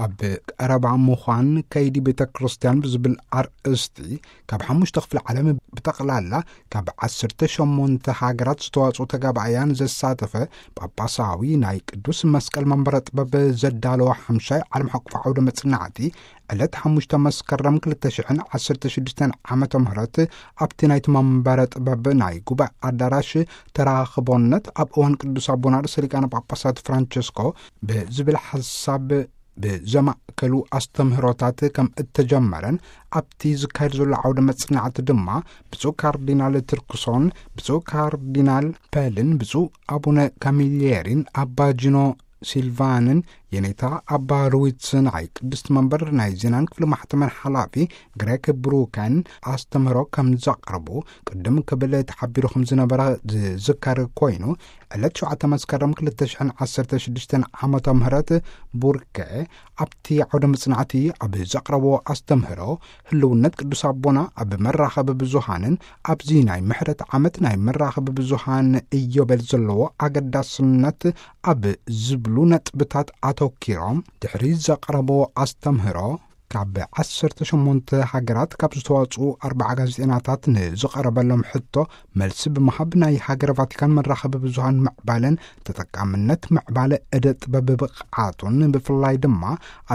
ኣብ ቀረባ ምዃን ከይዲ ቤተ ክርስቲያን ብዝብል ኣርእስቲ፣ ካብ ሓሙሽተ ክፍለ ዓለም ብጠቕላላ ካብ ዓሰርተ ሸሞንተ ሃገራት ዝተዋጽኡ ተጋባእያን ዘሳተፈ ጳጳሳዊ ናይ ቅዱስ መስቀል መንበረ ጥበብ ዘዳለወ ሓምሻይ ዓለም ሓቁፍ ዓውደ መጽናዕቲ፣ ዕለት ሓሙሽተ መስከረም ክልተ ሽሕን ዓሰርተ ሽዱሽተን ዓመተ ምህረት ኣብቲ ናይቲ መንበረ ጥበብ ናይ ጉባኤ ኣዳራሽ ተራኽቦነት ኣብ እዋን ቅዱስ ኣቦና ርእሰ ሊቃነ ጳጳሳት ፍራንቸስኮ ብዝብል ሓሳብ ብዘማእከሉ ኣስተምህሮታት ከም እተጀመረን ኣብቲ ዝካየድ ዘሎ ዓውደ መጽናዕቲ ድማ ብፁዕ ካርዲናል ትርክሶን ብፁዕ ካርዲናል ፐልን ብፁዕ ኣቡነ ካሚልየሪን ኣባ ጂኖ ሲልቫንን የኔታ ኣባ ሩዊትስ ናይ ቅድስት መንበር ናይ ዜናን ክፍሊ ማሕተመን ሓላፊ ግሬክ ብሩከን ኣስተምህሮ ከም ዘቕርቡ ቅድም ክብል ተሓቢሩ ከም ዝነበረ ዝዝከር ኮይኑ፣ ዕለት ሸውዓተ መስከረም ክልተ ሽሕን ዓሰርተ ሽዱሽተን ዓመተ ምህረት ቡርከ ኣብቲ ዓውደ መጽናዕቲ ኣብ ዘቕረቦ ኣስተምህሮ፣ ህልውነት ቅዱስ ኣቦና ኣብ መራኸቢ ብዙሃንን ኣብዚ ናይ ምሕረት ዓመት ናይ መራኸቢ ብዙሃን እዮቤል ዘለዎ ኣገዳስነት ኣብ ዝብሉ ነጥብታት ኣተኪሮም ድሕሪ ዘቕረቦ ኣስተምህሮ፣ ካብ ዓሰርተ ሸሞንተ ሃገራት ካብ ዝተዋጽኡ ኣርብዓ ጋዜጠናታት ንዝቐረበሎም ሕቶ መልሲ ብምሃብ፣ ናይ ሃገረ ቫቲካን መራኸቢ ብዙሃን ምዕባለን ተጠቃምነት ምዕባለ ዕደ ጥበብ ብቕዓቱን፣ ብፍላይ ድማ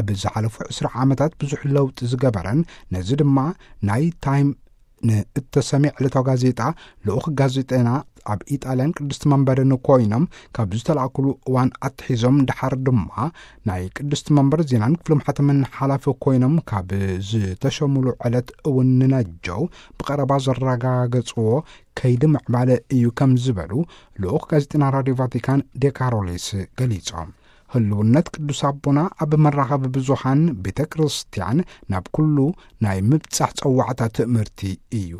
ኣብ ዝሓለፉ ዕስራ ዓመታት ብዙሕ ለውጢ ዝገበረን፣ ነዚ ድማ ናይ ታይም ንእተሰምየ ዕለታዊ ጋዜጣ ልኡኽ ጋዜጠና ኣብ ኢጣልያን ቅድስቲ መንበርን ኮይኖም ካብ ዝተላእኩሉ እዋን ኣትሒዞም፣ ድሓር ድማ ናይ ቅድስቲ መንበር ዜናን ክፍሊ ማሕተምን ሓላፊ ኮይኖም ካብ ዝተሸሙሉ ዕለት እውን ንነጀው ብቐረባ ዘረጋገጽዎ ከይዲ ምዕባለ እዩ ከም ዝበሉ ልኡኽ ጋዜጠና ራድዮ ቫቲካን ዴካሮሊስ ገሊጾም። ህልውነት ቅዱስ ኣቦና ኣብ መራኸቢ ብዙሃን ቤተ ክርስቲያን ናብ ኩሉ ናይ ምብጻሕ ጸዋዕታ ትእምርቲ እዩ።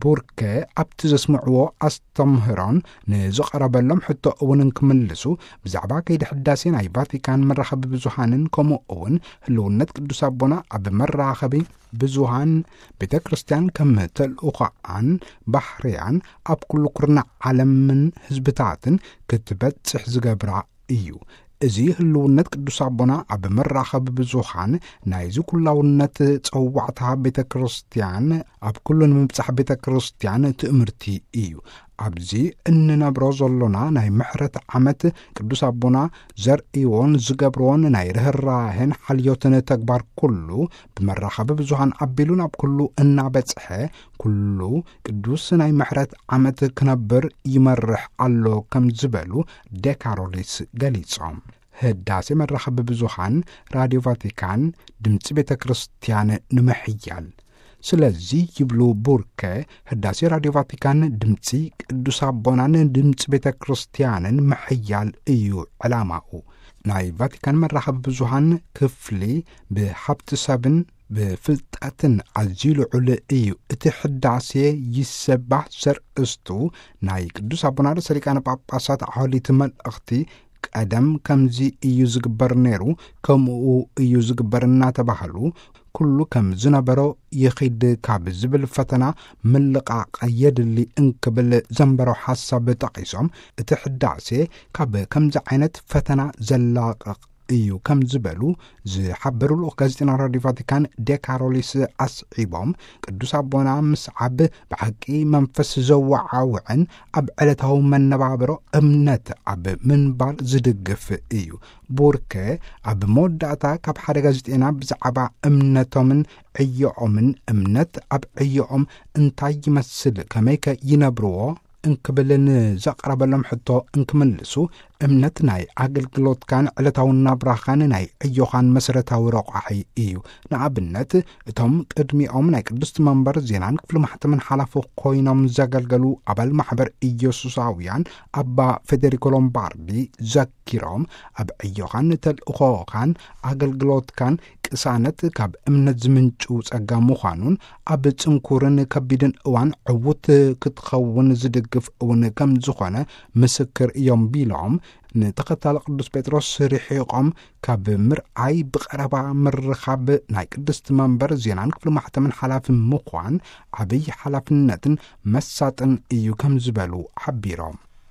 ቡርከ ኣብቲ ዘስምዕዎ ኣስተምህሮን ንዝቐረበሎም ሕቶ እውን እንክምልሱ፣ ብዛዕባ ከይዲ ሕዳሴ ናይ ቫቲካን መራኸቢ ብዙሃንን ከምኡ እውን ህልውነት ቅዱስ ኣቦና ኣብ መራኸቢ ብዙሃን ቤተ ክርስቲያን ከም ተልእኾኣን ባህርያን ኣብ ኩሉ ኩርናዕ ዓለምን ህዝብታትን ክትበጽሕ ዝገብራ እዩ። እዚ ህልውነት ቅዱስ ኣቦና ኣብ መራኸቢ ብዙሃን ናይዚ ኩላውነት ጸዋዕታ ቤተ ክርስቲያን፣ ኣብ ኩሉ ንምብጻሕ ቤተ ክርስቲያን ትእምርቲ እዩ። ኣብዚ እንነብሮ ዘሎና ናይ ምሕረት ዓመት ቅዱስ ኣቦና ዘርእይዎን ዝገብርዎን ናይ ርህራሄን ሓልዮትን ተግባር ኩሉ ብመራኸቢ ብዙሃን ኣቢሉ ናብ ኩሉ እናበጽሐ፣ ኩሉ ቅዱስ ናይ ምሕረት ዓመት ክነብር ይመርሕ ኣሎ ከም ዝበሉ ዴካሮሊስ ገሊጾም። ህዳሴ መራኸቢ ብዙሃን ራድዮ ቫቲካን ድምፂ ቤተ ክርስቲያን ንምሕያል። ስለዚ ይብሉ ቡርከ፣ ህዳሴ ራድዮ ቫቲካን ድምፂ ቅዱስ ኣቦናን ድምፂ ቤተ ክርስቲያንን ምሕያል እዩ ዕላማኡ። ናይ ቫቲካን መራኸቢ ብዙሃን ክፍሊ ብሃብቲ ሰብን ብፍልጠትን ኣዝዩ ልዑል እዩ። እቲ ሕዳሴ ይሰባህ ዘርእስቱ ናይ ቅዱስ ኣቦና ርእሰ ሊቃነ ጳጳሳት ዓሊቲ መልእኽቲ፣ ቀደም ከምዚ እዩ ዝግበር ነይሩ፣ ከምኡ እዩ ዝግበር እናተባህሉ፣ ኩሉ ከም ዝነበሮ ይኺድ ካብ ዝብል ፈተና ምልቓቕ የድሊ እንክብል ዘንበሮ ሓሳብ ጠቒሶም፣ እቲ ሕዳሴ ካብ ከምዚ ዓይነት ፈተና ዘላቕቕ እዩ ከም ዝበሉ ዝሓበሩ ልኡኽ ጋዜጠና ራድዮ ቫቲካን ዴካሮሊስ ኣስዒቦም፣ ቅዱስ ኣቦና ምስዓብ ብሓቂ መንፈስ ዘወዓውዕን ኣብ ዕለታዊ መነባብሮ እምነት ኣብ ምንባር ዝድግፍ እዩ። ቡርከ ኣብ መወዳእታ ካብ ሓደ ጋዜጠና ብዛዕባ እምነቶምን ዕዮኦምን፣ እምነት ኣብ ዕዮኦም እንታይ ይመስል፣ ከመይከ ይነብርዎ እንክብል ንዘቕረበሎም ሕቶ እንክምልሱ፣ እምነት ናይ ኣገልግሎትካን ዕለታዊ ናብራኻን ናይ ዕዮኻን መሰረታዊ ረቋሒ እዩ። ንኣብነት፣ እቶም ቅድሚኦም ናይ ቅድስቲ መንበር ዜናን ክፍሊ ማሕተምን ሓላፊ ኮይኖም ዘገልገሉ ኣባል ማሕበር ኢየሱሳውያን ኣባ ፌዴሪኮ ሎምባርዲ ዘኪሮም፣ ኣብ ዕዮኻን ተልእኾኻን ኣገልግሎትካን ቅሳነት ካብ እምነት ዝምንጩ ጸጋ ምዃኑን፣ ኣብ ጽንኩርን ከቢድን እዋን ዕዉት ክትኸውን ዝድግፍ እውን ከም ዝኾነ ምስክር እዮም ቢሎም፣ ንተኸታሊ ቅዱስ ጴጥሮስ ርሒቖም ካብ ምርኣይ ብቐረባ ምርኻብ ናይ ቅድስቲ መንበር ዜናን ክፍሊ ማሕተምን ሓላፊ ምዃን ዓብይ ሓላፍነትን መሳጥን እዩ ከም ዝበሉ ሓቢሮም።